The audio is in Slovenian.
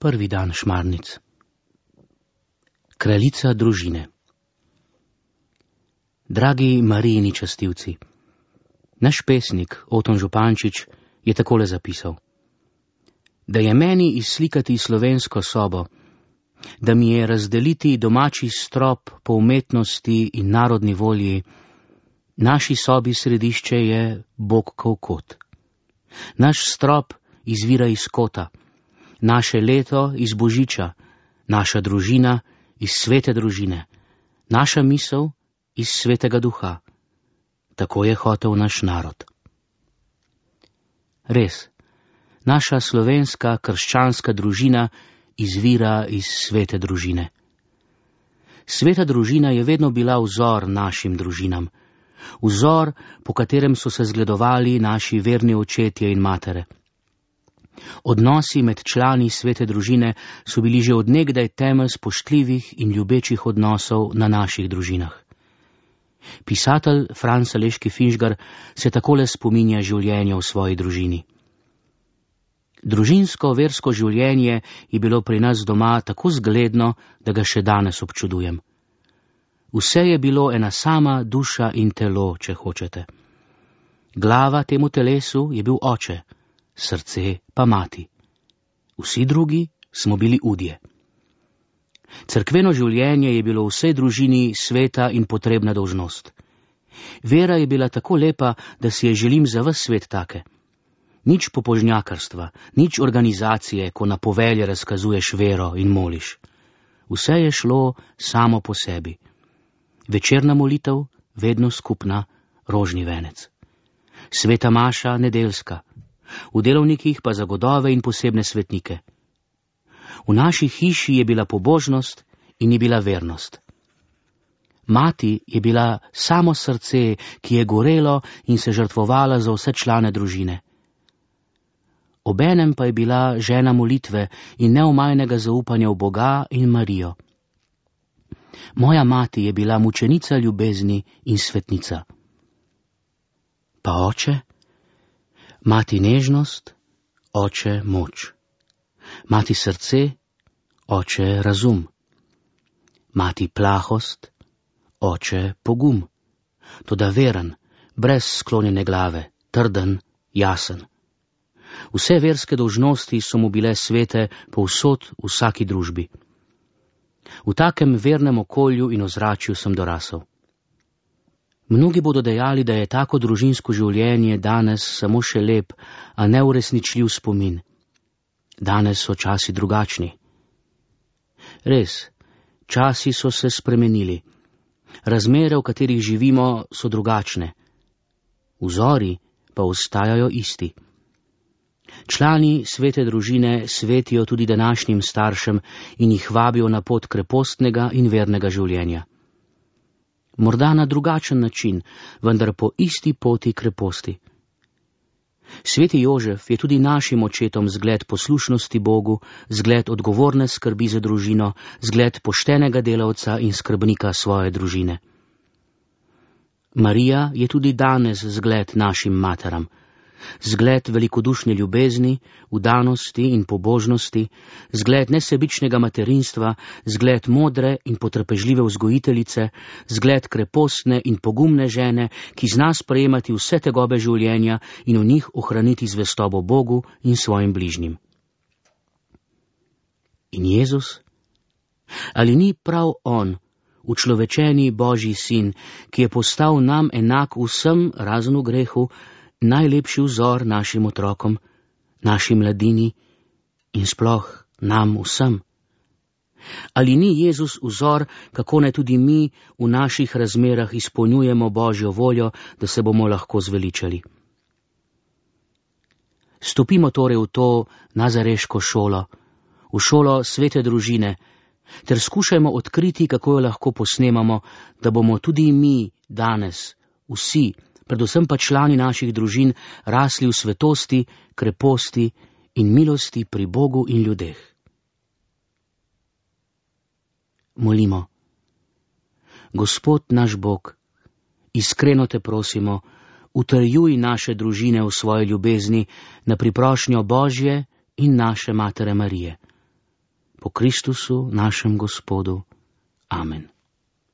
Prvi dan šmarnic. Kraljica družine. Dragi Marijini častilci, naš pesnik Oton Župančič je takole zapisal: da je meni izslikati slovensko sobo, da mi je razdeliti domači strop po umetnosti in narodni volji, naši sobi središče je Bogkov kot. Naš strop izvira iz kota, naše leto iz božiča, naša družina iz svete družine, naša misel iz svetega duha. Tako je hotel naš narod. Res, naša slovenska krščanska družina izvira iz svete družine. Sveta družina je vedno bila vzor našim družinam, vzor, po katerem so se zgledovali naši verni očetje in matere. Odnosi med člani svete družine so bili že od nekdaj temelj spoštljivih in ljubečih odnosov na naših družinah. Pisatelj Franz Aleški Finžgar se takole spominja življenja v svoji družini. Družinsko versko življenje je bilo pri nas doma tako zgledno, da ga še danes občudujem. Vse je bilo ena sama duša in telo, če hočete. Glava temu telesu je bil oče, srce pa mati. Vsi drugi smo bili udje. Cerkveno življenje je bilo vsej družini sveta in potrebna dolžnost. Vera je bila tako lepa, da si je želim za ves svet take. Nič pobožnjakarstva, nič organizacije, ko na povelje razkazuješ vero in moliš. Vse je šlo samo po sebi. Večerna molitev, vedno skupna, rožni venec. Sveta maša, nedeljska. V delovnikih pa za godove in posebne svetnike. V naši hiši je bila pobožnost in je bila vernost. Mati je bila samo srce, ki je gorelo in se žrtvovala za vse člane družine. Obenem pa je bila žena molitve in neomajnega zaupanja v Boga in Marijo. Moja mati je bila mučenica ljubezni in svetnica. Pa oče? Mati nežnost, oče moč. Mati srce, oče razum. Mati plahost, oče pogum. Toda veren, brez sklonjene glave, trden, jasen. Vse verske dolžnosti so mu bile svete povsod v vsaki družbi. V takem vernem okolju in ozračju sem dorasel. Mnogi bodo dejali, da je tako družinsko življenje danes samo še lep, a neuresničljiv spomin. Danes so časi drugačni. Res, časi so se spremenili. Razmere, v katerih živimo, so drugačne. Vzori pa ostajajo isti. Člani svete družine svetijo tudi današnjim staršem in jih vabijo na pot krepostnega in vernega življenja. Morda na drugačen način, vendar po isti poti kreposti. Sveti Jožef je tudi našim očetom zgled poslušnosti Bogu, zgled odgovorne skrbi za družino, zgled poštenega delavca in skrbnika svoje družine. Marija je tudi danes zgled našim materam, zgled velikodušne ljubezni, vdanosti in pobožnosti, zgled nesebičnega materinstva, zgled modre in potrpežljive vzgojiteljice, zgled krepostne in pogumne žene, ki zna sprejemati vse tegobe življenja in v njih ohraniti zvestobo Bogu in svojim bližnjim. In Jezus? Ali ni prav On, učlovečeni Božji sin, ki je postal nam enak vsem razen v grehu, najlepši vzor našim otrokom, naši mladini in sploh nam vsem? Ali ni Jezus vzor, kako naj tudi mi v naših razmerah izpolnjujemo Božjo voljo, da se bomo lahko zveličali? Stopimo torej v to nazareško šolo, v šolo svete družine, ter skušajmo odkriti, kako jo lahko posnemamo, da bomo tudi mi danes, vsi, predvsem pa člani naših družin, rasli v svetosti, kreposti in milosti pri Bogu in ljudeh. Molimo. Gospod naš Bog, iskreno te prosimo, utrjuj naše družine v svoji ljubezni na priprošnjo Božje in naše Matere Marije. Po Kristusu, našem Gospodu. Amen.